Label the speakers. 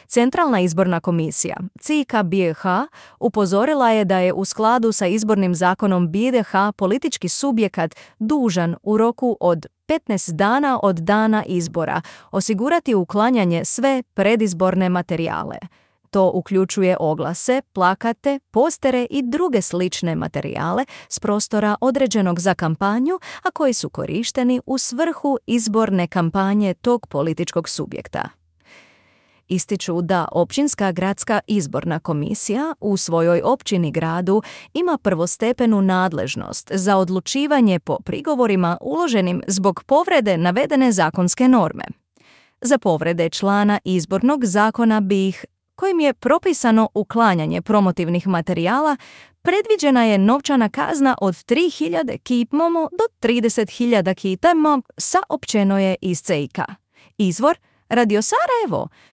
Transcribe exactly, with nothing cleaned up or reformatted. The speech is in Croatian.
Speaker 1: Centralna izborna komisija, C I K B I H, upozorila je da je u skladu sa izbornim zakonom B I H politički subjekat dužan u roku od petnaest dana od dana izbora osigurati uklanjanje sve predizborne materijale. To uključuje oglase, plakate, postere i druge slične materijale s prostora određenog za kampanju, a koji su korišteni u svrhu izborne kampanje tog političkog subjekta. Ističu da Općinska gradska izborna komisija u svojoj općini gradu ima prvostepenu nadležnost za odlučivanje po prigovorima uloženim zbog povrede navedene zakonske norme. Za povrede člana izbornog zakona B I H kojim je propisano uklanjanje promotivnih materijala, predviđena je novčana kazna od tri hiljade kitmomo do trideset hiljada kitamo, saopćeno je iz C I K. Izvor Radio Sarajevo,